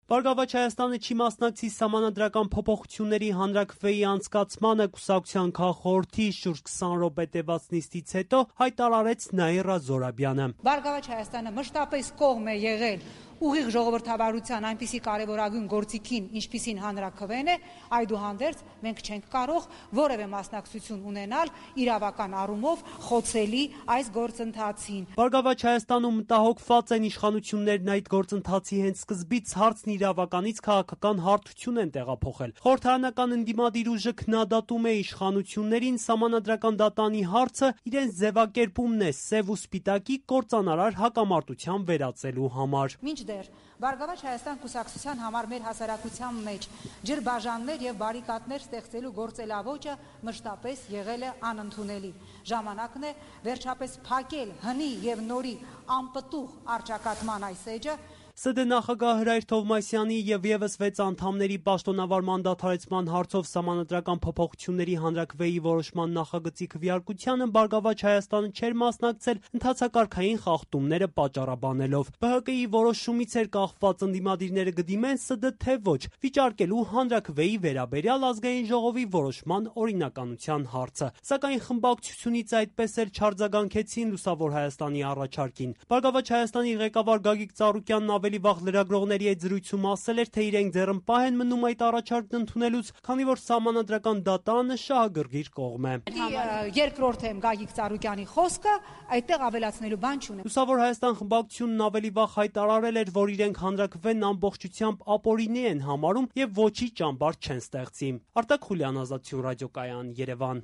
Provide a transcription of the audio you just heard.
Բարգավաճ Հայաստանը չի մասնակցի սահմանադրական փոփոխությունների հանրաքվեի անցկացմանը, կուսակցության քաղխորհրդի շուրջ 20 րոպե տևած նիստից հետո հայտարարեց Նաիրա Զորաբյանը. Բարգավաճ Հայաստանը մշտապես կողմ է եղել ուղիղ ժողովրդավարության այնպիսի կարևորագույն գործիքին, ինչպիսին հանրաքվեն է, այդուհանդերձ մենք չենք կարող որևէ մասնակցություն ունենալ իրավական առումով խոցելի այս գործընթացին։ Բարգավաճ Հայաստանում մտահոգված են իշխանություններն այդ գործընթացի հենց սկզբից հարցն իրավականից քաղաքական հարթություն են տեղափոխել։ Խորհրդարանական ընդդիմադիր ուժը քննադատում է իշխանություններին սահմանադրական դատանի հարցը իրենց ձևակերպումն է սև ու սպիտակի կործանարար հակամարտության վերածելու համար։ Մինչդեռ Բարգավաճ Հայաստան կուսակցության համար մեր հասարակության մեջ ջրբաժաններ եւ բարիկադներ ստեղծելու գործելավոճը մշտապես եղել է անընդունելի։ Ժամանակն է վերջապես փակել հնի եւ նորի անպտուղ առճակատման այս էջը։ ՍԴ նախագահ Հրայր Թովմասյանի եւ եւս 6 անդամների պաշտոնավար մանդաթարեցման հարցով սահմանադրական փոփոխությունների հանրաքվեի որոշման նախագծի քվեարկությանը Բարգավաճ Հայաստանը չէր մասնակցել ընթացակարգային խախտումները պատճառաբանելով։ ԲՀԿ-ի որոշումից էր կախված ընդդիմադիրները կդիմեն ՍԴ թե ոչ, վիճարկելու հանրաքվեի վերաբերյալ ազգային ժողովի որոշման օրինականության հարցը։ Սակայն խմբակցությունից այդպես էլ չարձագանքեցին Լուսավոր Հայաստանի առաջարկին։ Բարգավաճ Հայաստանի ղեկավար Գագիկ Ծառուկյանն ավելի վաղ լրագրողների այդ զրույցում ասել էր, թե իրենք ձեռնպահ են մնում այդ առաջարկն ընդունելուց, քանի որ սահմանադրական դատանը շահագրգիռ կողմ է։ Երկրորդ եմ Գագիկ Ծառուկյանի խոսքը, այդտեղ ավելացնելու բան չունեմ։ Լուսավոր Հայաստան խմբակցությունն ավելի վաղ հայտարարել էր, որ իրենք հանրաքվեն ամբողջությամբ ապօրինի են համարում եւ ոչի ճամբար չեն ստեղծի։ Արտակ Խուլյան, Ազատություն ռադիոկայան, Երևան։